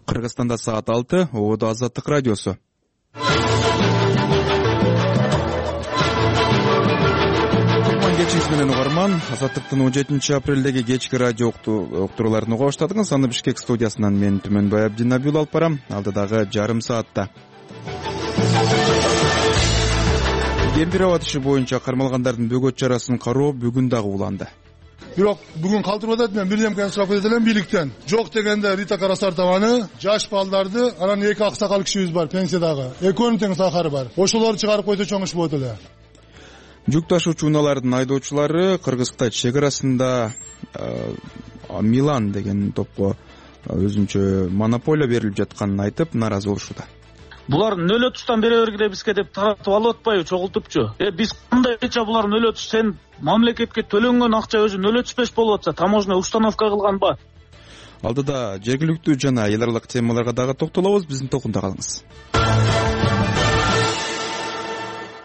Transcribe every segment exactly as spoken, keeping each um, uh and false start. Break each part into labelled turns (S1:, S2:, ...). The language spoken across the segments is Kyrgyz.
S1: Кыргызстанда саат алты, Ободо Азаттык радиосу. Кечиңиз менен угарман, Азаттыктын он жетинчи апрелдеги кечки радио уктурууларын уга баштадыңыз. Аны Бишкек студиясынан мен Түмөнбай Абдинабил алып барам. Алдыдагы жарым саатта Кемпир аба иши боюнча кармалгандардын бөгөт чарасын кароо бүгүн дагы уланды.
S2: Бирок бүгүн калтырып атат, мен бир немкени сурап кетет элем бийликтен. Жок дегенде Рита Карасартованы, жаш балдарды, анан эки аксакал кишибиз бар пенсиядагы. Экөөнүн тең сахары бар. Ошолорду чыгарып койсо чоң иш болот эле.
S1: Жүк ташуучу унаалардын айдоочулары Кыргыз-Кытай чек арасында Милан деген топко өзүнчө монополия берилип жатканын айтып, нааразы болушууда.
S3: Булар нөл отуздон бере бергиле бизге деп таратып алып атпайбы, чогултупчу. Э биз кандайча булар нөл отуз, сен мамлекетке төлөнгөн акча өзү нөл отуз беш болуп атса, таможня установка кылганбы?
S1: Алдыда жергиликтүү жана эл аралык темаларга дагы токтолобуз, биздин токунда калыңыз.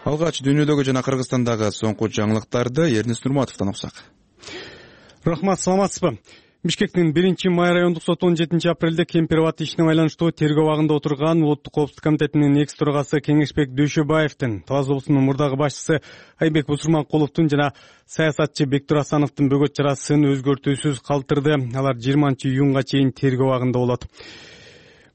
S1: Алгач дүйнөдөгү жана Кыргызстандагы соңку жаңылыктарды Эрнис Нурматовдон окусак.
S4: Рахмат, саламатсызбы? Бишкектин биринчи май райондук соту он жетинчи апрелде Кемпир аба ишине байланыштуу тергөө абагында отурган Улуттук коопсуздук комитетинин экс төрагасы Кеңешбек Дөшөбаевдин, Талас облусунун мурдагы башчысы Айбек Бусурманкуловдун жана саясатчы Бектур Асановдун бөгөт чарасын өзгөртүүсүз калтырды. Алар жыйырманчы июнга чейин тергөө абагында болот.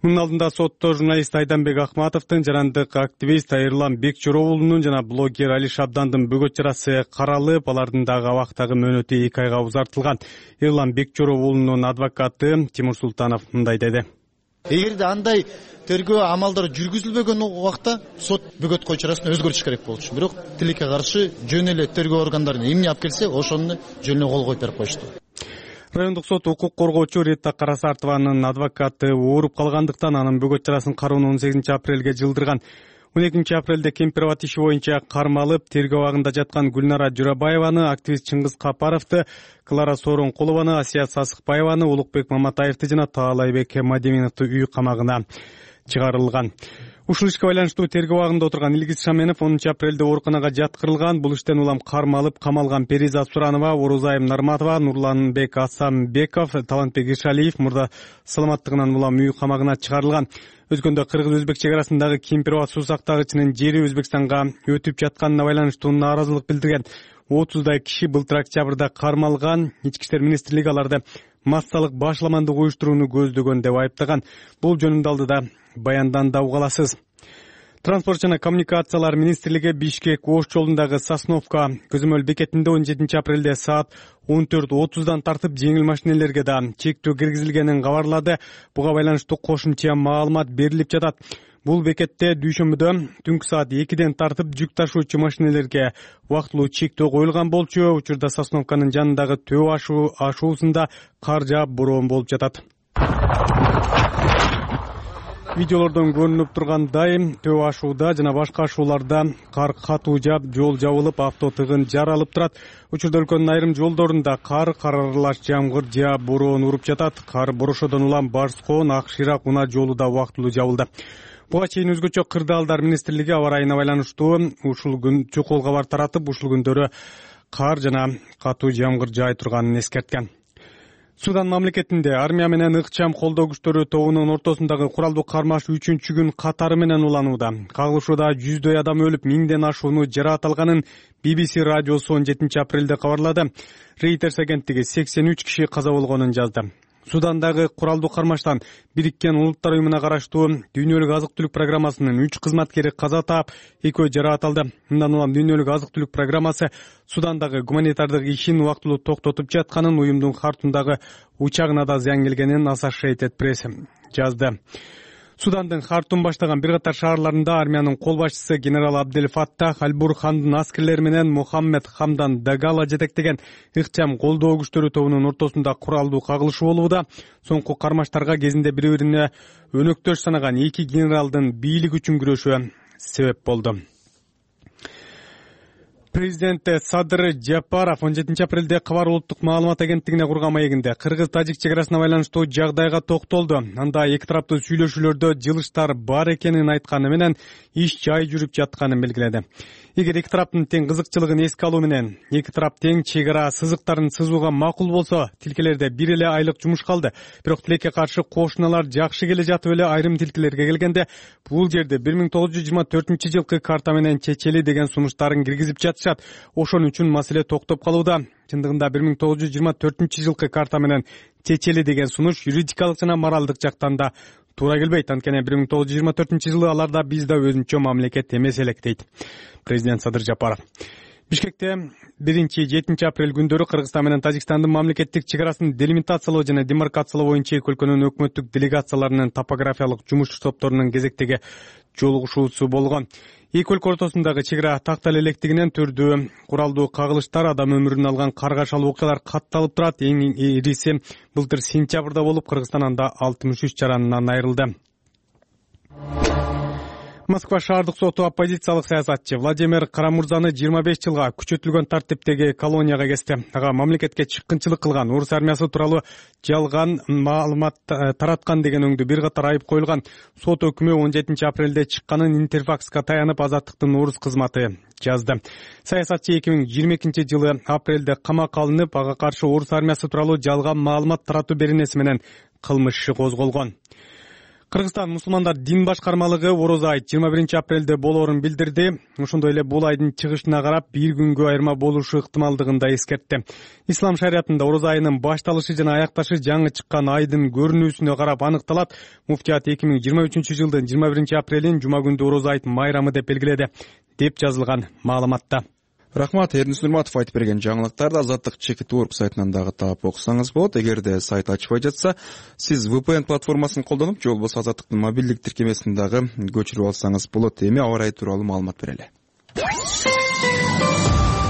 S4: Мунун алдында сотто журналист Айданбек Акматовдун, жарандык активист Айырлан Бекчоровулунун жана блогер Али Шабдандын бөгөт чарасы каралып, алардын дагы абактагы мөөнөтү эки айга узартылган. Айырлан Бекчоровулунун адвокаты Тимур Султанов мындай деди.
S5: Эгерде андай тергөө амалдары жүргүзүлбөгөн убакта сот бөгөт кой чарасын өзгөртүш керек болчу. Бирок тилекке каршы жөн эле тергөө органдарын эмне алып келсе, ошону жөнүнө кол коюп берип коюшту.
S4: Райондук сот укук коргоочу Рита Карасартованын адвокаты ооруп калгандыктан анын бөгөт чарасын кароону он сегизинчи апрелге жылдырган. он экинчи апрелде Кемпир аба иши боюнча кармалып, тергөө абагында жаткан Гүлнара Журабаеваны, активист Чыңгыз Капаровду, Клара Сооронкулованы, Асия Сасыкбаеваны, Улукбек Маматаевди жана Таалайбек Мадеминовду үй камагына чыгарылган. Ушул ишке байланыштуу тергөө абагында отурган Илгиз Шаменов онунчу апрелде ооруканага жаткырылган. Бул иштен улам кармалып камалган Перизат Суранова, Орузайым Нарматова, Нурланбек Асамбеков, Талантбек Ишалиев мурда саламаттыгынан улам үй камагына чыгарылган. Өзгөндө кыргыз-өзбек чек арасындагы Кемпир аба суу сактагычынын жери Өзбекстанга өтүп жатканына байланыштуу нааразылык билдирген отуздай киши былтыр октябрда кармалган. Ички иштер министрлиги аларды массалык башламандык уюштурууну көздөгөн деп айыптаган. Бул жөнүндө алдыда баяндан да угаласыз. Транспорт жана коммуникациялар министрлиги Бишкек Ош жолундагы Сосновка көзөмөл бекетинде он жетинчи апрелде саат он төрт отуздан тартып жеңил машинелерге да чектөө киргизилгенин кабарлады. Буга байланыштуу кошумча маалымат берилип жатат. Бул бекетте дүйшөмбүдө түнкү саат экиден тартып жүк ташуучу машинелерге убактылуу чектөө коюлган болчу. Учурда Сосновканын жанындагы төө ашуу ашуусунда кар жаап бороон болуп жатат. Видеолордон көрүнүп тургандай, төө ашууда жана башка ашууларда кар катуу жаап, жол жабылып, авто тыгын жаралып турат. Учурда өлкөнүн айрым жолдорунда кар, кар аралаш жамгыр жаап, бороон уруп жатат. Кар борошодон улам Барскон, Ак Ширак унаа жолу да убактылуу жабылды. Буга чейин өзгөчө кырдаалдар министрлиги аба райына байланыштуу ушул күн чукул кабар таратып, ушул күндөрү кар жана катуу жамгыр жаай турганын эскерткен. Судан мамлекетинде армия менен ыкчам колдоо күчтөрү тобунун ортосундагы куралдуу кармаш үчүнчү күн катары менен уланууда. Кагылышууда жүздөй адам өлүп, миңден ашууну жараат алганын би би си радиосу он жетинчи апрелде кабарлады. Reuters агенттиги сексен үч киши каза болгонун жазды. Судандагы куралдуу кармаштан Бириккен Улуттар уюмуна караштуу дүйнөлүк азык-түлүк программасынын үч кызматкери каза таап, экөө жараат алды. Мындан улам дүйнөлүк азык-түлүк программасы Судандагы гуманитардык ишин убактылуу токтотуп жатканын, уюмдун Хартумдагы учагына да зыян келгенин Associated Press жазды. Судандын Хартум баштаган бир катар шаарларында армиянын кол башчысы генерал Абдел Фаттах Аль-Бурхандын аскерлери менен Мухаммед Хамдан Дагала жетектеген ыкчам колдоо күчтөрү тобунун ортосунда куралдуу кагылышуу болууда. Соңку кармаштарга кезинде бири-бирине өнөктөш санаган эки генералдын бийлик үчүн күрөшү себеп болду. Президент Садыр Жапаров он жетинчи апрелде Кабар улуттук маалымат агенттигине курган маегинде кыргыз-тажик чек арасына байланыштуу жагдайга токтолду. Анда эки тараптуу сүйлөшүүлөрдө жылыштар бар экенин айтканы менен иш жай жүрүп жатканын белгиледи. Эгер эки тараптын тең кызыкчылыгын эске алуу менен эки тарап тең чек ара сызыктарын сызууга макул болсо, тилкелерде бир эле айлык жумуш калды. Бирок тилекке каршы кошуналар жакшы келе жатып эле айрым тилкелерге келгенде бул жерде бир миң тогуз жүз жыйырма төртүнчү жылкы карта менен чечели деген сунуштарын киргизип жатышат. Ошон үчүн маселе токтоп калууда. Чындыгында бир миң тогуз жүз жыйырма төртүнчү жылкы карта менен чечели деген сунуш юридикалык жана моралдык жактан да туура келбейт. Анткени бир миң тогуз жүз жыйырма төртүнчү жылы алар да биз да өзүнчө мамлекет эмес элек дейт президент Садыр Жапаров. Бишкекте биринчи жетинчи апрель күндөрү Кыргызстан менен Тажикстандын мамлекеттик чек арасын делимитациялоо жана демаркациялоо боюнча эки өлкөнүн өкмөттүк делегацияларынын топографиялык жумуш топторунун кезектеги жолугушуусу болгон. Эки өлкө ортосундагы чек ара тактал электигинен түрдүү куралдуу кагылыштар, адам өмүрүн алган каргашал окуялар катталып турат. Эң ириси былтыр сентябрда болуп, Кыргызстан анда алтымыш үч жаранынан айрылды. Москва шаардык соту оппозициялык саясатчы Владимир Карамурзаны жыйырма беш жылга күчөтүлгөн тартиптеги колонияга кести. Ага мамлекетке чыккынчылык кылган, орус армиясы тууралуу жалган маалымат тараткан деген өңдүү бир катар айып коюлган. Сот өкүмү он жетинчи апрелде чыкканын Интерфакска таянып Азаттыктын орус кызматы жазды. Саясатчы эки миң жыйырма экинчи жылы апрелде камакка алынып, ага каршы орус армиясы тууралуу жалган маалымат таратуу беренеси менен кылмыш иши козголгон. Кыргызстан мусулмандар дин башкармалыгы орозо айт жыйырма биринчи апрелде болоорун билдирди. Ошондой эле бул айдын чыгышына карап бир күнгө айырма болушу ыктымалдыгын да эскертти. Ислам шариятында орозо айынын башталышы жана аякташы жаңы чыккан айдын көрүнүүсүнө карап аныкталат. Муфтият эки миң жыйырма үчүнчү жылдын жыйырма биринчи апрелин жума күндү орозо айт майрамы деп белгиледи, деп жазылган маалыматта.
S1: Рахмат, Эрдинис Нурматов айтып берген жаңылыктарды Азаттык чекит точка орг сайтынан дагы таап окусаңыз болот. Эгерде сайт ачпай жатса, сиз ви пи эн платформасын колдонуп, же болбосо Азаттыктын мобилдик тиркемесин дагы көчүрүп алсаңыз болот. Эми аба ырайы тууралуу маалымат берели.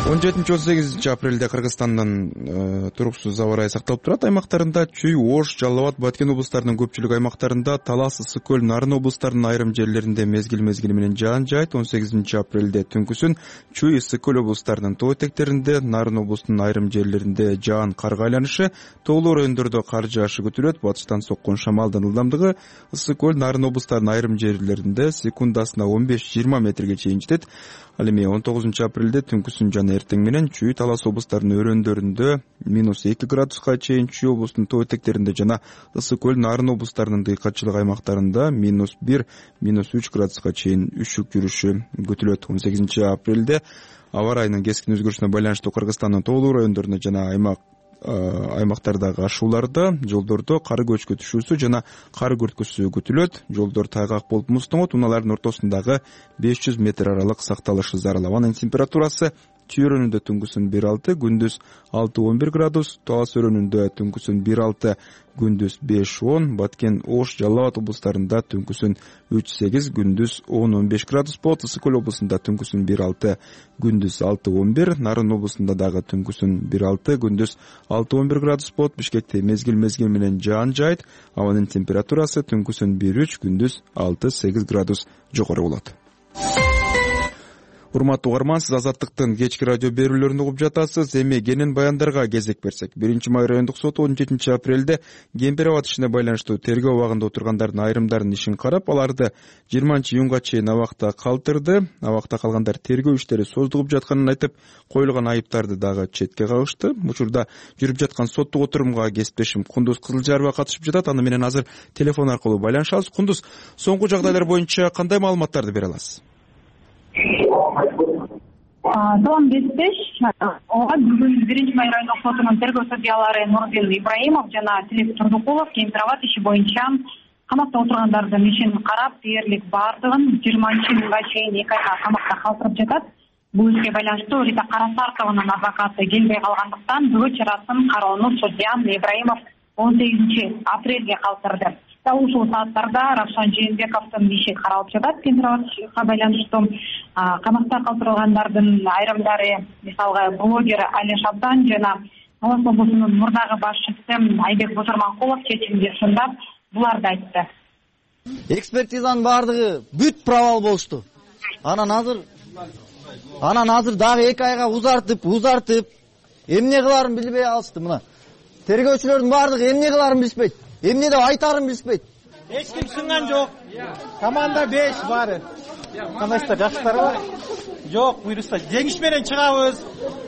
S1: он жетинчи он сегизинчи апрелде Кыргызстандын э, туруксуз аба ырайы сакталып турат. Аймактарында Чүй, Ош, Жалал Абад, Баткен облустарынын көпчүлүк аймактарында, Талас, Ысык көл, Нарын облустарынын айрым жерлеринде мезгил мезгили менен жаан жаайт. он сегизинчи апрелде түнкүсүн Чүй, Ысык көл облустарынын тоо этектеринде, Нарын облусунун айрым жерлеринде жаан карга айланышы, тоолуу райондордо кар жаашы күтүлөт. Батыштан соккон шамалдын ылдамдыгы Ысык көл, Нарын облустарынын айрым жерлеринде секундасына он беш жыйырма метрге чейин жетет. Ал эми он тогузунчу апрелде түнкүсүн жана эртең менен Чүй, Талас облустарынын өрөөндөрүндө минус эки градуска чейин, Чүй облусунун тоо этектеринде жана Ысык көл, Нарын облустарынын дыйкачылык аймактарында минус бир, минус үч градуска чейин үшүк жүрүшү күтүлөт. он сегизинчи апрелде аба ырайынын кескин өзгөрүшүнө байланыштуу Кыргызстандын тоолуу райондорунда жана аймак аймактардагы ашууларда жолдордо кар көчкүтүшүүсү жана кар күрткүсү күтүлөт. Жолдор тайгак болуп муздоңот, унаалардын ортосундагы беш жүз метр аралык сакталышы зарыл. Абанын температурасы Чүй өрөөнүндө түнкүсүн бир алты, күндүз алты он бир градус, Талас өрөөнүндө түнкүсүн бир алты, күндүз беш он, Баткен, Ош, Жалал Абад облустарында түнкүсүн үч сегиз, күндүз он он беш градус болот. Ысык көл облусунда түнкүсүн бир алты, күндүз алты он бир, Нарын облусунда дагы түнкүсүн бир алты, күндүз алты он бир градус болот. Бишкекте мезгил мезгил менен жаан жаайт. Абанын температурасы түнкүсүн бир үч, күндүз алты сегиз градус жогору болот. Урматтуу угарман, сиз Азаттыктын кечки радио берүүлөрүн угуп жатасыз. Эми кенен баяндарга кезек берсек. биринчи май райондук соту он жетинчи апрелде Кемпир абад ишине байланыштуу тергөө абагында отургандардын айрымдарынын ишин карап, аларды жыйырманчы июнга чейин абакта калтырды. Абакта калгандар тергөө иштери создугуп жатканын айтып, коюлган айыптарды дагы четке кагышты. Учурда жүрүп жаткан соттук отурумга кесиптешим Кундуз Кызылжарова катышып жатат. Аны менен азыр телефон аркылуу байланышабыз. Кундуз, соңку жагдайлар боюнча кандай маалыматтарды бере аласыз?
S6: Салам Беспеш. Ооба бүгүн биринчи май райондук сотунун тергөө судьялары Нурдин Ибраимов жана Тилек Турдукулов Кемпир абад иши боюнча камакта отургандардын ишин карап, дээрлик баардыгын жыйырманчы июнга чейин эки айга камакта калтырып жатат. Бул ишке байланыштуу Рита Карасартованын адвокаты келбей калгандыктан бөгөт чарасын кароону судья Ибраимов он сегизинчи апрелге калтырды. Ушул сааттарда Равшан Жээнбековдун иши каралып жатат. Кемпир абадга байланыштуу камакта калтырылгандардын айрымдары, мисалга блогер Али Шабдан жана Талас облусунун мурдагы башчысы Айбек Бузурманкулов чечимди сындап, буларды айтты.
S7: Экспертизанын баардыгы бүт провал болушту. Анан азыр Анан азыр дагы эки айга узартып, узартып, эмне кыларын билбей алышты мына. Тергөөчүлөрдүн баардыгы эмне кыларын билишпейт. Эмне деп айтарын билишпейт.
S8: Эч ким сынган жок. Команда беш баары. Кандайсыздар, жакшысыздарбы? Жок, буйруса жеңиш менен чыгабыз.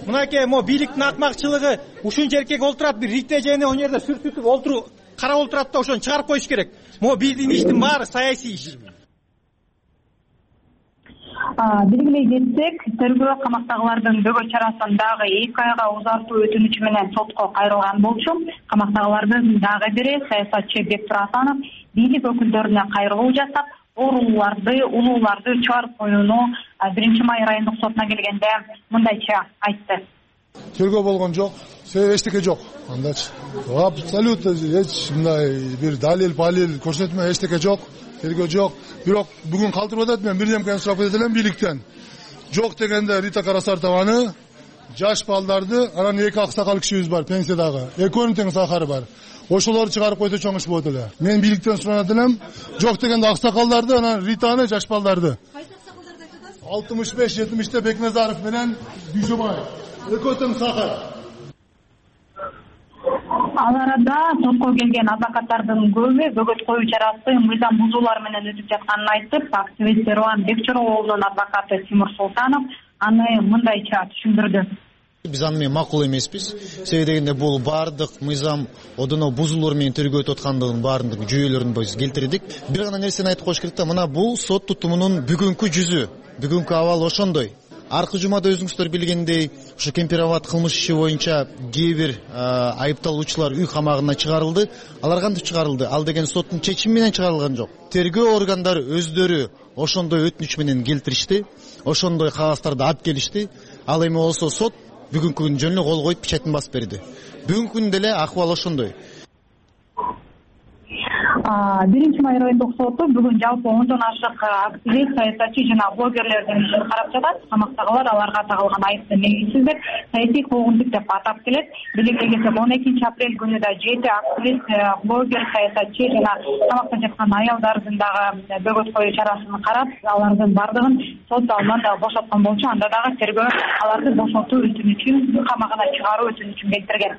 S8: Мынакей мо бийликтин акмакчылыгы ушунча эркек олтурат, бир рите жене о жерде сүртүтүп олтуруп, карап олтурат да ошону чыгарып коюш керек. Мо биздин иштин баары саясий иш.
S6: Белгилей кетсек, тергөө камактагылардын бөгөт чарасын дагы эки айга узартуу өтүнүчү менен сотко кайрылган болчу. Камактагылардын дагы бири саясатчы Бектур Асанов бийлик өкүлдөрүнө кайрылуу жасап, ооруларды, улууларды чыгарып коюуну биринчи май райондук сотуна келгенде мындайча айтты.
S2: Тергөө болгон жок, себеп эчтеке жок. Андачы абсолютно эч мындай бир далил, балил көрсөтмө эчтеке жок. Тергөө жок. Бирок бүгүн калтырып атат, мен бир немкени сурап кетет элем бийликтен. Жок дегенде Рита Карасартованы, жаш балдарды, анан эки аксакал кишибиз бар пенсиядагы. Экөөнүн тең сахары бар. Ошолорду чыгарып койсо чоң иш болот эле. Мен бийликтен суранат элем, жок дегенде аксакалдарды, анан Ританы, жаш балдарды. Кайсы аксакалдарды айтып атасыз? алтымыш беш жетимиште Бекназаров менен Дүйшөбаев. Экөө тең сахар.
S6: Ал арада сотко келген адвокаттардын көбү бөгөт коюу чарасы мыйзам бузуулар менен өтүп жатканын айтып, активист Эрлан Бекчороолунун адвокаты Тимур Султанов аны мындайча түшүндүрдү.
S5: Биз аны менен макул эмеспиз. Себеби дегенде бул баардык мыйзам одоно бузуулар менен тергөө өтүп аткандыгын баардык жүйөлөрүн биз келтирдик. Бир гана нерсени айтып коюш керек да, мына бул сот тутумунун бүгүнкү жүзү, бүгүнкү абал ошондой. Аркы жумада өзүңүздөр билгендей, ушу Кемпироват кылмыш иши боюнча кээ бир айыпталуучулар үй камагына чыгарылды. Алар кантип чыгарылды? Ал деген соттун чечими менен чыгарылган жок. Тергөө органдары өздөрү ошондой өтүнүч менен келтиришти, ошондой кагаздарды алып келишти. Ал эми болсо сот бүгүнкү күнү жөн эле кол коюп печатын басып берди. Бүгүнкү күндө деле акыбал ошондой.
S6: биринчи май райондук соту бүгүн жалпы ондон ашык активист, саясатчы жана блогерлердин ишин карап жатат. Камактагылар аларга тагылган айыпты негизсиз деп, саясий куугунтук деп атап келет. Белгилей кетсек, он экинчи апрель күнү да жети активист, блогер, саясатчы жана камакта жаткан аялдардын дагы бөгөт коюу чарасын карап, алардын бардыгын сот залынан да бошоткон болчу. Анда дагы тергөө аларды бошотуу өтүнүчүн, камагына чыгаруу өтүнүчүн келтирген.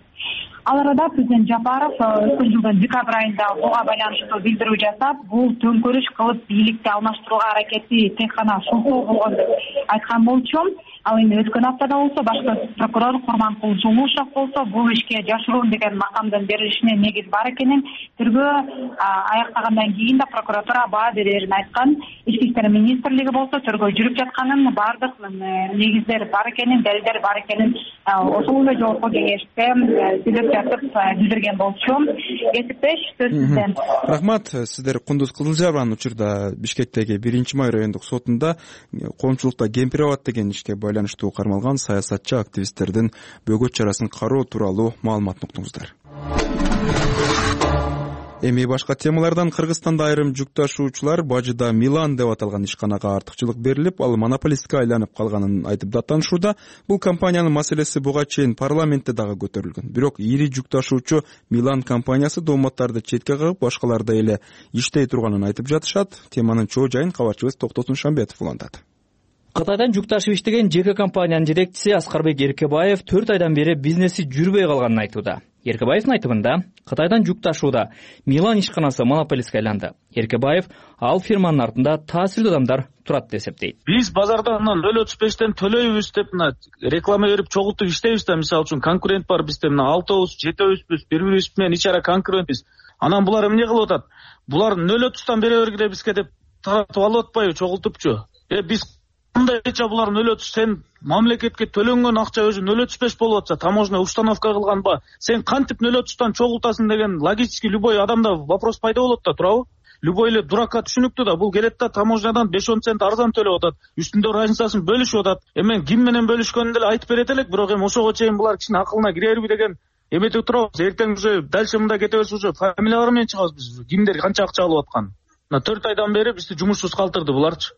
S6: Ал арада президент Жапаров өткөн жылдын декабрь айында буга байланыштуу билдирүү жасап, бул төңкөрүш кылып бийликти алмаштырууга аракети тек гана шултоо болгон деп айткан болчу. Ал эми өткөн аптада болсо башкы прокурор Курманкул Жумушев болсо бул ишке жашыруун деген макамдын берилишине негиз бар экенин, тергөө аяктагандан кийин да прокуратура баа берерин айткан. Ички иштер министрлиги болсо тергөө жүрүп жатканын, бардык негиздер бар экенин, далилдер бар экенин ошол эле жогорку кеңеште сүйлөп жатып билдирген болчу. Кесиптеш сөз сизден.
S1: Рахмат. Сиздер Кундуз Кызылжарованын учурда Бишкектеги биринчи май райондук сотунда коомчулукта Кемпироват деген ишке байланыштуу кармалган саясатчы активисттердин бөгөт чарасын кароо тууралуу маалымат уктуңуздар. Эми башка темалардан. Кыргызстанда айрым жүк ташуучулар бажыда Милан деп аталган ишканага артыкчылык берилип, ал монополистке айланып калганын айтып даттанышууда. Бул компаниянын маселеси буга чейин парламентте дагы көтөрүлгөн. Бирок ири жүк ташуучу Милан компаниясы дооматтарды четке кагып, башкаларда эле иштей турганын айтып жатышат. Теманын чоо жайын кабарчыбыз Токтосун Шамбетов улантат.
S9: Кытайдан жүк ташып иштеген жеке компаниянын жетекчиси Аскарбек Эркебаев төрт айдан бери бизнеси жүрбөй калганын айтууда. Эркебаевдин айтымында, Кытайдан жүк ташууда Милан ишканасы монополистке айланды. Эркебаев ал фирманын артында таасирдүү адамдар турат деп эсептейт.
S3: Биз базардан нөл отуз бештен төлөйбүз деп мына реклама берип чогултуп иштейбиз да, мисалы үчүн конкурент бар бизде, мына алтыбыз, жетөөбүз, бири-бирибиз менен ич ара конкурентпиз. Анан булар эмне кылып атат? Булар нөл отуздон бере бергиле бизге деп таратып алып атпайбы, чогултупчу. Э биз кандайча булар нөл отуз, сен мамлекетке төлөнгөн акча өзү нөл отуз беш болуп атса, таможня установка кылганба, сен кантип нөл отуздон чогултасың деген логически любой адамда вопрос пайда болот да, туурабы? Любой эле дуракка түшүнүктүү да, бул келет да таможнядан беш он цент арзан төлөп атат, үстүндө разницасын бөлүшүп атат. Эми ким менен бөлүшкөнүн деле айтып берет элек, бирок эми ошого чейин булар кишинин акылына кирерби деген эметип турабыз. Эртең уже дальше мында кете берсе уже фамилиялар менен чыгабыз биз, кимдер канча акча алып аткан. Мына төрт айдан бери бизди жумушсуз калтырды буларчы.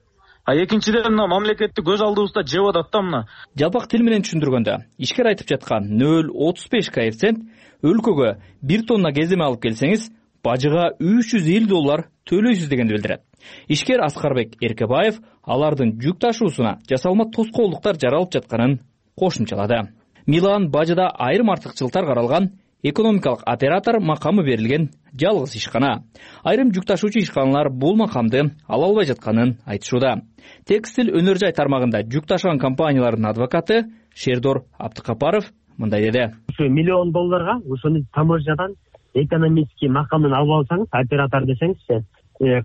S3: А экинчиден мына мамлекетти көз алдыбызда жеп атат да мына.
S9: Жалпак тил менен түшүндүргөндө, ишкер айтып жаткан нөл отуз беш коэффициент өлкөгө бир тонна кеземе алып келсеңиз, бажыга үч жүз элүү доллар төлөйсүз дегенди билдирет. Ишкер Аскарбек Эркебаев алардын жүк ташуусуна жасалма тоскоолдуктар жаралып жатканын кошумчалады. Милан бажыда айрым артыкчылыктар каралган экономикалык оператор макамы берилген жалгыз ишкана. Айрым жүк ташуучу ишканалар бул макамды ала албай жатканын айтышууда. Текстил өнөр жай тармагында жүк ташыган компаниялардын адвокаты Шердор Абдыкапаров мындай деди.
S10: Ушу миллион долларга ушуну таможнядан экономический макамын алып алсаңыз, оператор десеңизчи,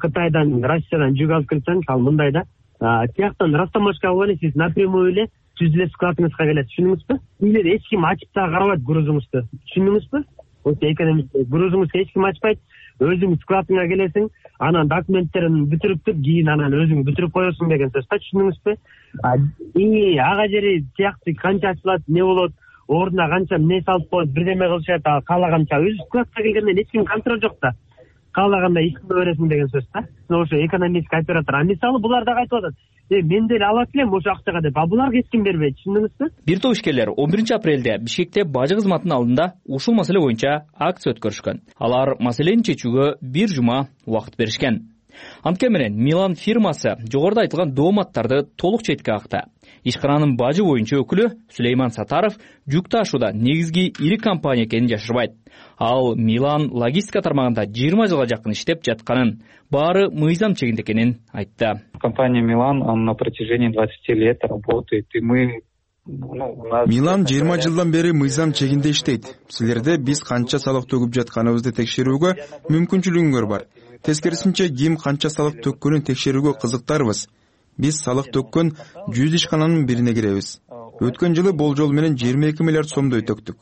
S10: Кытайдан, Россиядан жүк алып келсеңиз, ал мындай да, тияктан растаможка алып эле сиз напрямую эле жүз эле складыңызга келет, түшүндүңүзбү? Билер эч ким ачып да карабайт грузуңузду. Түшүндүңүзбү? Ошо экономика грузуңузду эч ким ачпайт. Өзүң складыңа келесиң, анан документтерин бүтүрүп туруп, кийин анан өзүң бүтүрүп коесуң деген сөз. Түшүндүңүзбү? И ага жери тиякты канча ачылат, не болот, ордуна канча эмне салып коет, бирдеме кылышат, каалаганча өзү складка келгенден эч ким контроль жок да. Каалаганда ишке бересиң деген сөз да. Ошо экономический оператор. А мисалы булар да кайтып атат. Э, мен деле алат элем ошо акчага деп. А буларга эч ким бербейт, түшүндүңүзбү?
S9: Бир топ ишкерлер он биринчи апрелде Бишкекте бажы кызматынын алдында ушул маселе боюнча акция өткөрүшкөн. Алар маселени чечүүгө бир жума убакыт беришкен. Анткени менен Милан фирмасы жогоруда айтылган дооматтарды толук четке какты. Ишкананын бажы боюнча өкүлү Сулейман Сатаров жүк ташууда негизги ири компания экенин жашырбайт. Ал Милан логистика тармагында жыйырма жылга жакын иштеп жатканын, баары мыйзам чегинде экенин айтты.
S11: Компания Милан на протяжении двадцати лет работает, и мы
S1: Милан жыйырма жылдан бери мыйзам чегинде иштейт. Силерде биз канча салык төгүп жатканыбызды текшерүүгө мүмкүнчүлүгүңөр бар. Тескерисинче ким канча салык төккөнүн текшерүүгө кызыктарбыз. Биз салык төккөн жүз ишкананын бирине киребиз. Өткөн жылы болжол менен жыйырма эки миллиард сомдой төктүк.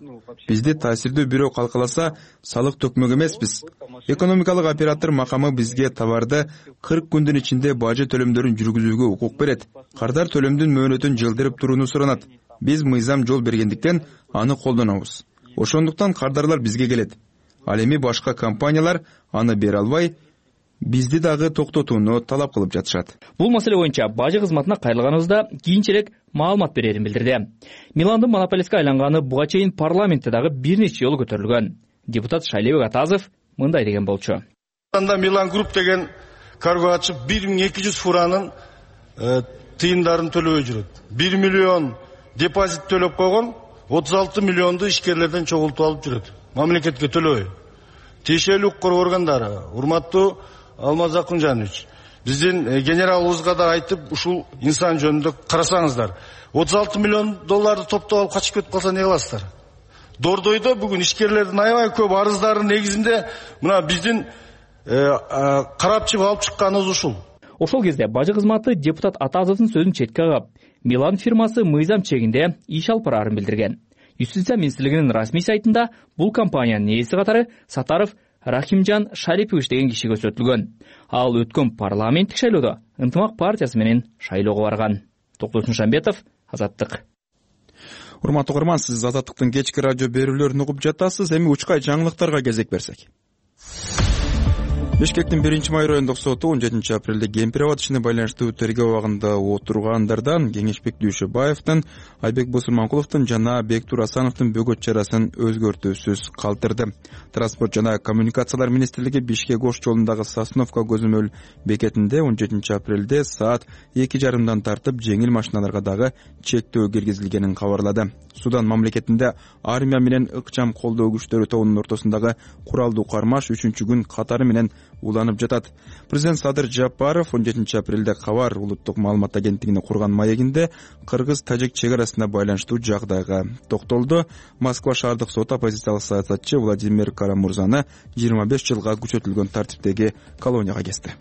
S1: Бизди таасирдүү бирөө калкаласа, салык төкмөк эмеспиз. Экономикалык оператор макамы бизге товарды кырк күндүн ичинде бажы төлөмдөрүн жүргүзүүгө укук берет. Кардар төлөмдүн мөөнөтүн жылдырып турууну суранат. Биз мыйзам жол бергендиктен аны колдонобуз. Ошондуктан кардарлар бизге келет. Ал эми башка компаниялар аны бере албай, бизди дагы токтотууну талап кылып жатышат.
S9: Бул маселе боюнча бажы кызматына кайрылганыбызда кийинчерээк маалымат берерин билдирди. Миландын монополистке айланганы буга чейин парламентте дагы бир нече жолу көтөрүлгөн. Депутат Шайлебек Атазов мындай деген болчу.
S12: Милан Групп деген карго ачып бир миң эки жүз фуранын тыйындарын төлөбөй жүрөт. бир миллион депозит төлөп койгон, отуз алты миллионду ишкерлерден чогултуп алып жүрөт. Мамлекетке төлөбөй. Тиешелүү укук органдары, урматтуу Алмаз Акунжанович, биздин генералыбызга да айтып, ушул инсан жөнүндө карасаңыздар. отуз алты миллион долларды топтоп алып качып кетип калса не кыласыздар? Дордойдо бүгүн ишкерлердин аябай көп арыздарын негизинде мына биздин карап чыгып алып чыкканыбыз ушул.
S9: Ошол кезде бажы кызматы депутат Атазовдун сөзүн четке кагып, Милан фирмасы мыйзам чегинде иш алып барарын билдирген. Юстиция министрлигинин расмий сайтында бул компаниянын ээси катары Сатаров Рахимжан Шарипович деген киши көрсөтүлгөн. Ал өткөн парламенттик шайлоодо Ынтымак партиясы менен шайлоого барган. Токтосун Шамбетов, Азаттык.
S1: Урматтуу угарман, сиз Азаттыктын кечки радио берүүлөрүн угуп жатасыз. Эми учкай жаңылыктарга кезек берсек. Бишкектин биринчи май райондук соту он жетинчи апрелде Кемпирабад ишине байланыштуу тергөө абагында отургандардан Кеңешбек Дүйшөбаевдин, Айбек Босурманкуловдун жана Бектур Асановдун бөгөт чарасын өзгөртүүсүз калтырды. Транспорт жана коммуникациялар министрлиги Бишкек Ош жолундагы Сосновка көзөмөл бекетинде он жетинчи апрелде саат эки жарымдан тартып жеңил машиналарга дагы чектөө киргизилгенин кабарлады. Судан мамлекетинде армия менен ыкчам колдоо күчтөрү тобунун ортосундагы куралдуу кармаш үчүнчү күн катары менен уланып жатат. Президент Садыр Жапаров он жетинчи апрелде Кабар улуттук маалымат агенттигине курган маегинде кыргыз-тажик чек арасына байланыштуу жагдайга токтолду. Москва шаардык соту оппозициялык саясатчы Владимир Карамурзаны жыйырма беш жылга күчөтүлгөн тартиптеги колонияга кести.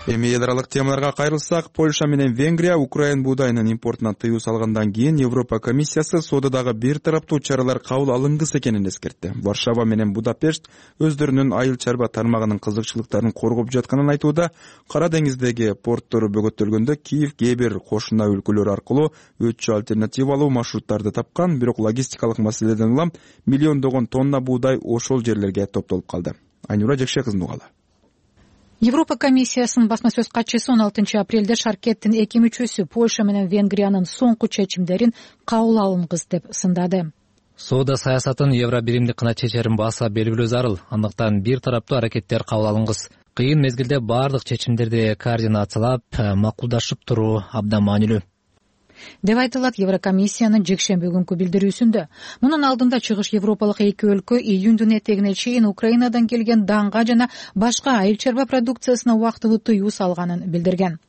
S1: Эми эл аралык темаларга кайрылсак, Польша менен Венгрия Украин буудайынын импортуна тыюу салгандан кийин Европа комиссиясы соододагы бир тараптуу чаралар кабыл алынгыс экенин эскертти. Варшава менен Будапешт өздөрүнүн айыл чарба тармагынын кызыкчылыктарын коргоп жатканын айтууда. Кара деңиздеги порттору бөгөттөлгөндө Киев кээ бир кошуна өлкөлөр аркылуу өтчү альтернативалуу маршруттарды тапкан, бирок логистикалык маселеден улам миллиондогон тонна буудай ошол жерлерге топтолуп калды. Айнура Жекше кызын угалы.
S13: Европа комиссиясынын басма сөз катчысы он алтынчы апрелде шаркеттин эки мүчөсү Польша менен Венгриянын соңку чечимдерин кабыл алынгыс деп сындады.
S14: Соода саясатын евро биримдик гана чечерин баса белгилөө зарыл. Андыктан бир тараптуу аракеттер кабыл алынгыс. Кыйын мезгилде бардык чечимдерди координациялап, макулдашып туруу абдан маанилүү
S13: деп айтылат Еврокомиссиянын жекшемби күнкү билдирүүсүндө. Мунун алдында чыгыш европалык эки өлкө июндун этегине чейин Украинадан келген данга жана башка айыл чарба продукциясына убактылуу тыюу салганын билдирген.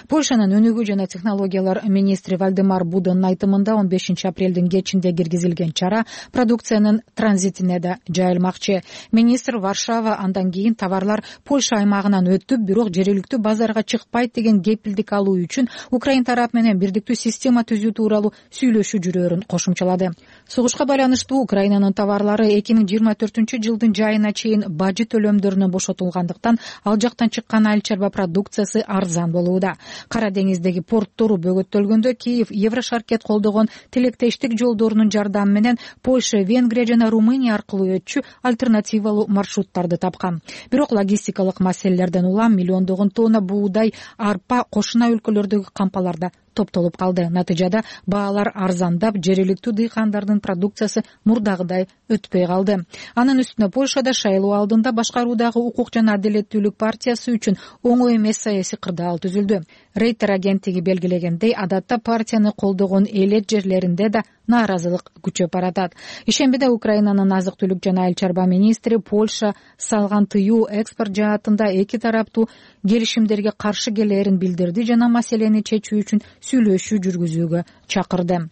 S13: Польшанын өнүгүү жана технологиялар министри Вальдемар Будонун айтымында он бешинчи апрелдин кечинде киргизилген чара продукциянын транзитине да жайылмакчы. Министр Варшава андан кийин товарлар Польша аймагынан өтүп, бирок жергиликтүү базарга чыкпайт деген кепилдик алуу үчүн Украин тарап менен бирдиктүү система түзүү тууралуу сүйлөшүү жүрөөрүн кошумчалады. Согушка байланыштуу Украинанын товарлары эки миң жыйырма төртүнчү жылдын жайына чейин бажы төлөмдөрүнөн бошотулгандыктан ал жактан чыккан айыл чарба продукциясы арзан болууда. Кара деңиздеги порттору бөгөттөлгөндө Киев Еврошаркет колдогон тилектештик жолдорунун жардамы менен Польша, Венгрия жана Румыния аркылуу өтчү альтернативалуу маршруттарды тапкан. Бирок логистикалык маселелерден улам миллиондогон тонна буудай, арпа кошуна өлкөлөрдөгү кампаларда топтолуп калды. Натыйжада баалар арзандап, жергиликтүү дыйкандардын продукциясы мурдагыдай өтпөй калды. Анын үстүнө Польшада шайлоо алдында башкаруудагы укук жана адилеттүүлүк партиясы үчүн оңой эмес саясий кырдаал түзүлдү. Рейтер агенттиги белгилегендей, адатта партияны колдогон элет жерлеринде да нааразылык күчөп баратат. Ишембиде Украинанын азык-түлүк жана айыл чарба министри Польша салган тыюу экспорт жаатында эки тараптуу келишимдерге каршы келээрин билдирди жана маселени чечүү үчүн сүйлөшүү жүргүзүүгө чакырды.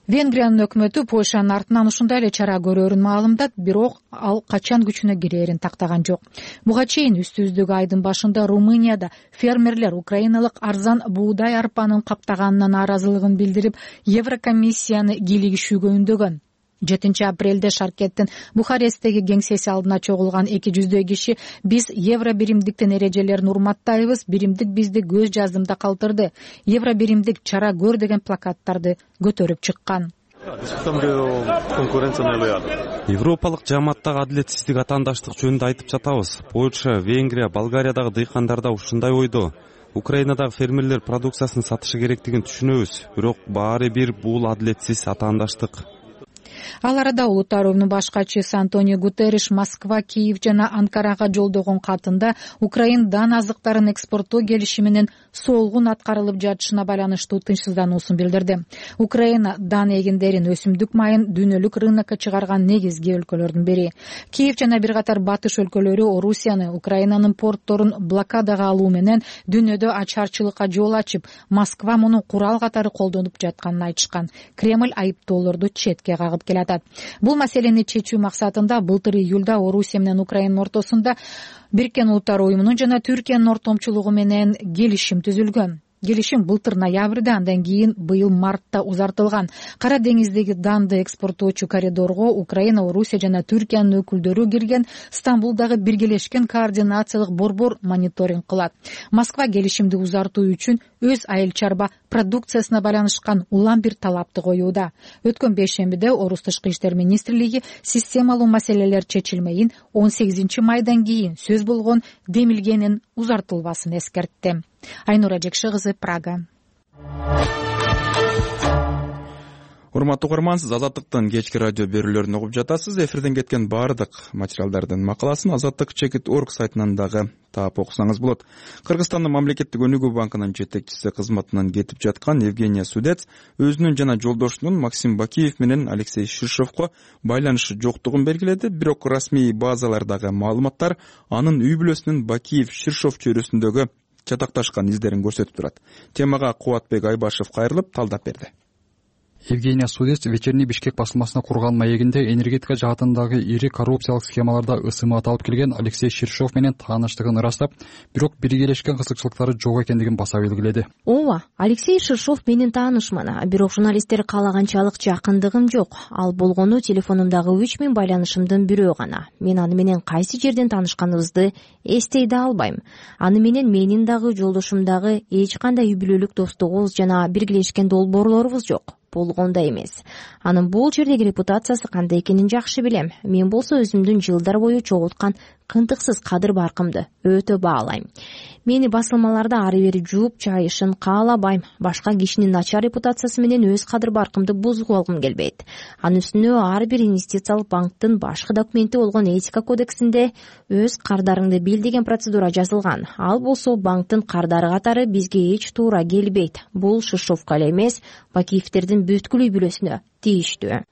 S13: Венгриянын өкмөтү Польшанын артынан ушундай эле чара көрөөрүн маалымдат, бирок ал качан күчүнө кирээрин тактаган жок. Буга чейин үстүбүздөгү айдын башында Румынияда фермерлер украиналык арзан буудай арпанын каптаганына нааразылыгын билдирип, Еврокомиссияны кийлигишүүгө үндөгөн. жетинчи апрелде Шаркеттин Бухаресттеги кеңсеси алдына чогулган эки жүздөй киши биз евро биримдиктин эрежелерин урматтайбыз, биримдик бизди көз жаздымда калтырды, евро биримдик чара көр деген плакаттарды көтөрүп чыккан.
S15: Европалык жааматтагы адилетсиздик, атаандаштык жөнүндө айтып жатабыз. Польша, Венгрия, Болгариядагы дыйкандарда ушундай ойдо. Украинадагы фермерлер продукциясын сатышы керектигин түшүнөбүз, бирок баары бир бул адилетсиз атаандаштык.
S13: Ал арада Улуттар уюмунун баш катчысы Антонио Гутерриш Москва, Киев жана Анкарага жолдогон катында Украин дан азыктарын экспорттоо келишиминин солгун аткарылып жатышына байланыштуу тынчсыздануусун билдирди. Украина дан эгиндерин, өсүмдүк майын дүйнөлүк рынокко чыгарган негизги өлкөлөрдүн бири. Киев жана бир катар батыш өлкөлөрү Орусияны, Украинанын портторун блокадага алуу менен дүйнөдө ачарчылыкка жол ачып, Москва муну курал катары колдонуп жатканын айтышкан. Кремль айыптоолорду четке кагып келатат. Бул маселени чечүү максатында былтыр июлда Орусия менен Украинанын ортосунда Бириккен Улуттар уюмунун жана Түркиянын ортомчулугу менен келишим түзүлгөн. Келишим былтыр ноябрда, андан кийин быйыл мартта узартылган. Кара деңиздеги данды экспорттоочу коридорго Украина, Орусия жана Түркиянын өкүлдөрү кирген. Стамбулдагы биргелешкен координациялык борбор мониторинг кылат. Москва келишимди узартуу үчүн өз айыл чарба продукциясына байланышкан улам бир талапты коюуда. Өткөн бейшембиде Орус тышкы иштер министрлиги системалуу маселелер чечилмейин он сегизинчи майдан кийин сөз болгон демилгенин узартылбасын эскертти. Айнура Жекши кызы, Прага.
S1: Урматтуу угарман, сиз Азаттыктын кечки радио берүүлөрүн угуп жатасыз. Эфирден кеткен баардык материалдардын макаласын азаттык чекит точка орг сайтынан дагы таап окусаңыз болот. Кыргызстандын мамлекеттик өнүгүү банкынын жетекчиси кызматынан кетип жаткан Евгения Судец өзүнүн жана жолдошунун Максим Бакиев менен Алексей Ширшовко байланышы жоктугун белгиледи. Бирок расмий базалардагы маалыматтар анын үй бүлөсүнүн Бакиев Ширшов чөйрөсүндөгү чатакташкан издерин көрсөтүп турат. Темага Кубатбек Айбашев кайрылып талдап берди.
S16: Евгения Судец вечерний Бишкек басылмасына курган маегинде энергетика жаатындагы ири коррупциялык схемаларда ысымат алып келген Алексей Ширшов менен тааныштыгын ырастап, бирок биргелешкен кызыкчылыктары жок экендигин баса белгиледи.
S17: Ооба, Алексей Ширшов менин таанышман, бирок журналисттер каалаганчалык жакындыгым жок. Ал болгону телефонумдагы үч миң байланышымдын бирөө гана. Мен аны менен кайсы жерден таанышканыбызды эстей да албайм. Аны менен менин дагы жолдошумдагы эч кандай үй бүлөлүк достугубуз жана биргелешкен долбоорлорубуз жок. болгондой эмес. Анын бул жердеги репутациясы кандай экенин жакшы билем. Мен болсо өзүмдүн жылдар бою чогулткан кынтыксыз кадыр баркымды өтө баалайм. Мени басылмаларда ары бери жууп чайышын каалабайм. Башка кишинин начар репутациясы менен өз кадыр баркымды бузуп алгым келбейт. Анын үстүнө ар бир инвестициялык банктын башкы документи болгон этика кодексинде өз кардарыңды бил деген процедура жазылган. Ал болсо банктын кардары катары бизге эч туура келбейт. Бул Шишовко эле эмес, Бакиевтердин бүткүл үй бүлөсүнө тийиштүү.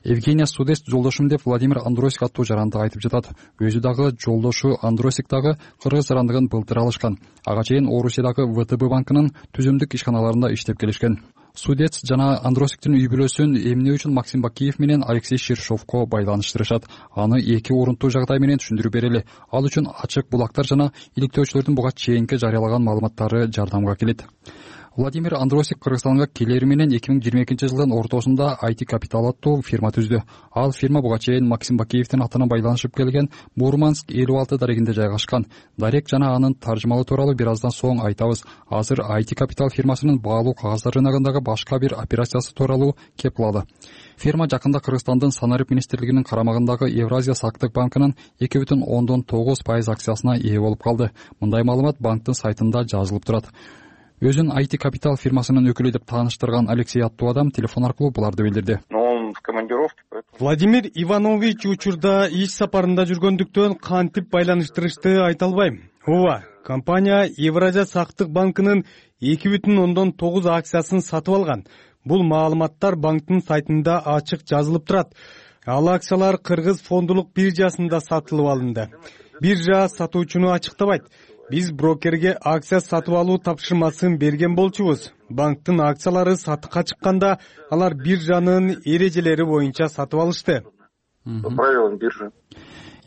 S16: Евгения Судес жолдошум деп Владимир Андросик аттуу жаранда айтып жатат. Өзү дагы жолдошу Андросик дагы кыргыз жарандыгын былтыр алышкан. Ага чейин Орусиядагы вэ тэ бэ банкынын түзүмдүк ишканаларында иштеп келишкен. Судец жана Андросиктин үй бүлөсүн эмне үчүн Максим Бакиев менен Алексей Ширшовко байланыштырышат? Аны эки орунтуу жагдай менен түшүндүрүп берели. Ал үчүн ачык булактар жана иликтөөчүлөрдүн буга чейинки жарыялаган маалыматтары жардамга келет. Владимир Андросик Кыргызстанга келери менен эки миң жыйырма экинчи жылдын ортосунда ай ти Capital аттуу фирма түздү. Ал фирма буга чейин Максим Бакиевдин атына байланышып келген Мурманск элүү алты дарегинде жайгашкан. Дарек жана анын таржымалы тууралуу бир аздан соң айтабыз. Азыр ай ти Capital фирмасынын баалуу кагаздары рыногундагы башка бир операциясы тууралуу кеп кылалы. Фирма жакында Кыргызстандын Санарип министрлигинин карамагындагы Евразия сактык банкынын эки бүтүн ондон тогуз пайыз акциясына ээ болуп калды. Мындай маалымат банктын сайтында жазылып турат. Өзүн ай ти Capital фирмасынын өкүлү деп тааныштырган Алексей аттуу адам телефон аркылуу буларды билдирди.
S4: Владимир Иванович учурда иш сапарында жүргөндүктөн кантип байланыштырышты айта албайм. Ооба, компания Евразия сактык банкынын эки бүтүн ондон тогуз акциясын сатып алган. Бул маалыматтар банктын сайтында ачык жазылып турат. Ал акциялар Кыргыз фондулук биржасында сатылып алынды. Биржа сатуучуну ачыктабайт. Биз брокерге акция сатып алуу тапшырмасын берген болчубуз. Банктын акциялары сатыкка чыкканда алар биржанын эрежелери боюнча сатып алышты.
S11: По правилам биржи.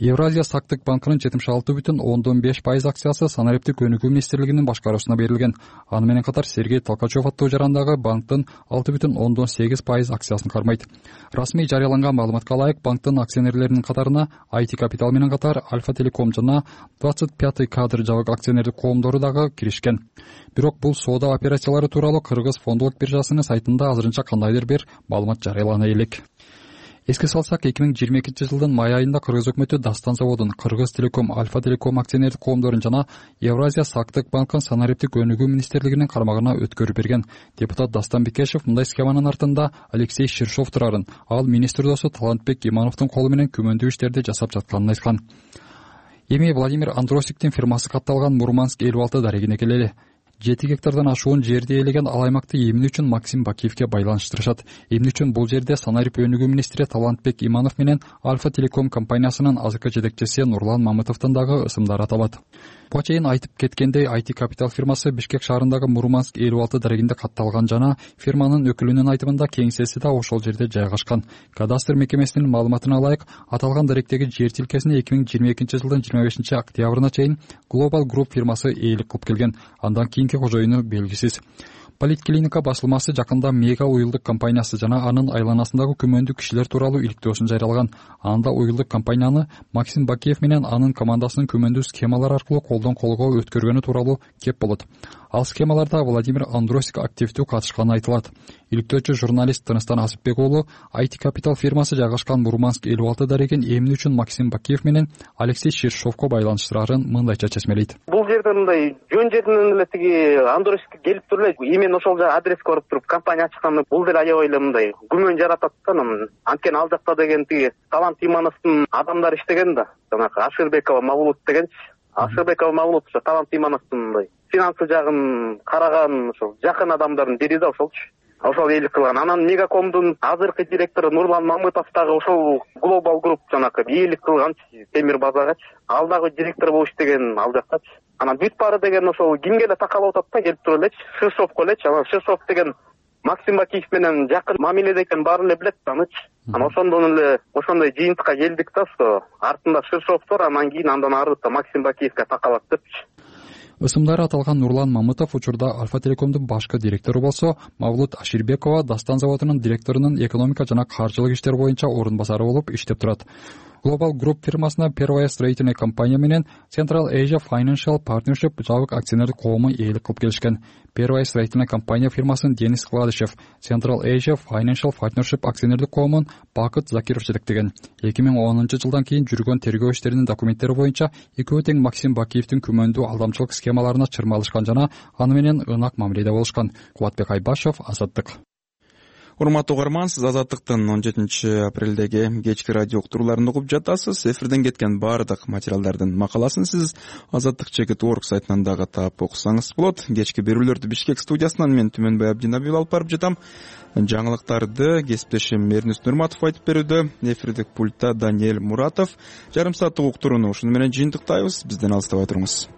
S16: Евразия сактык банкынын жетимиш алты бүтүн ондон беш пайыз акциясы Санариптик өнүгүү министрлигинин башкаруусуна берилген. Аны менен катар Сергей Толкачев аттуу жарандагы банктын алты бүтүн ондон сегиз пайыз акциясын кармайт. Расмий жарыяланган маалыматка ылайык банктын акционерлеринин катарына ай ти Capital менен катар Альфа Телеком жана двадцать пятый кадр жабык акционердик коомдору дагы киришкен. Бирок бул соода операциялары тууралуу Кыргыз фондулук биржасынын сайтында азырынча кандайдыр бир маалымат жарыялана элек. Эске салсак, эки миң жыйырма экинчи жылдын май айында Кыргыз өкмөтү Дастан заводун, Кыргыз Телеком, Альфа Телеком акционердик коомдорун жана Евразия сактык банкын Санариптик өнүгүү министрлигинин карамагына өткөрүп берген. Депутат Дастан Бекешев мындай схеманын артында Алексей Ширшов турарын, ал министр досу Талантбек Имановдун колу менен күмөндүү иштерди жасап жатканын айткан. Эми Владимир Андросиктин фирмасы катталган Мурманск элүү алты дарегине келели. жети гектардан ашуун жерди ээлеген ал аймакты эмне үчүн Максим Бакиевке байланыштырышат? Эмне үчүн бул жерде Санарип өнүгүү министри Талантбек Иманов менен Альфа Телеком компаниясынын азыркы жетекчиси Нурлан Мамытовдун дагы ысымдары аталат. Буга чейин айтып кеткендей, ай ти Capital фирмасы Бишкек шаарындагы Мурманск элүү алты дарегинде катталган жана фирманын өкүлүнүн айтымында кеңсеси да ошол жерде жайгашкан. Кадастр мекемесинин маалыматына ылайык, аталган даректеги жер тилкесине эки миң жыйырма экинчи жылдын жыйырма бешинчи октябрына чейин Global Group фирмасы ээлик кылып келген. Андан кийинки кожоюну белгисиз. Политклиника басылмасы жакында Мега уюлдук компаниясы жана анын айланасындагы күмөндүү кишилер тууралуу иликтөөсүн жарыялаган. Анда уюлдук компанияны Максим Бакиев менен анын командасынын күмөндүү схемалар аркылуу колдон колго өткөргөнү тууралуу кеп болот. Ал схемаларда Владимир Андросик активдүү катышканы айтылат. Иликтөөчү журналист Тыныстан Асыпбек уулу ай ти Capital фирмасы жайгашкан Мурманск элүү алты дарегин эмне үчүн Максим Бакиев менен Алексей Ширшовко байланыштырарын мындайча чечмелейт.
S18: Бул жерде мындай жөн жерден эле тиги Андросик келип туруп эле эмен ошол жа адреске барып туруп компания ачканы бул деле аябай эле мындай күмөн жаратат да. Анткени ал жакта деген тиги Талант Имановдун адамдары иштеген да. Жанагы Ашырбекова Мавлут дегенчи. Ашырбекова Мавлут ошо Талант Имановдун мындай финансы жагын караган ошол жакын адамдардын бири да ошолчу. Ошол ээлик кылган. Анан Мегакомдун азыркы директору Нурлан Мамытов дагы ошол Global Group жанагы ээлик кылганчы темир базагачы. Ал дагы директор болуп иштеген ал жактачы. Анан бүт баары деген ошол кимге эле такалып атат да, келип туруп элечи. Ширшовко элечи. Анан Ширшов деген Максим Бакиев менен жакын мамиледе экенин баары эле билет да анычы. Анан ошондон эле ошондой жыйынтыкка келдик да, что артында Ширшов бар, анан кийин андан арыта Максим Бакиевке такалат депчи.
S16: Ысымдары аталган Нурлан Мамытов учурда Альфа Телекомдун башкы директору болсо, Мавлут Аширбекова Дастан заводунун директорунун экономика жана каржылык иштер боюнча орун басары болуп иштеп турат. Global Group фирмасына Первая строительная компания менен Central Asia Financial Partnership жабык акционерлик коому ээлик кылып келишкен. Первая строительная компания фирмасын Денис Кладышев, Central Asia Financial Partnership акционерлик коомун Бакыт Закиров жетектеген. эки миң онунчу жылдан кийин жүргөн тергөө иштеринин документтери боюнча экөө тең Максим Бакиевдин күмөндүү алдамчылык схемаларына чырмалышкан жана аны менен ынак мамиледе болушкан. Кубатбек Айбашев, Азаттык.
S1: Урматтуу угарман, сиз Азаттыктын он жетинчи апрелдеги кечки радио уктурууларын угуп жатасыз. Эфирден кеткен баардык материалдардын макаласын сиз азаттык чекит точка орг сайтынан дагы таап окусаңыз болот. Кечки берүүлөрдү Бишкек студиясынан мен Түмөнбай Абдинабиев алып барып жатам. Жаңылыктарды кесиптешим Эрнис Нурматов айтып берүүдө. Эфирдик пультта Даниэль Муратов. Жарым сааттык уктурууну ушуну менен жыйынтыктайбыз. Бизден алыстабай туруңуз.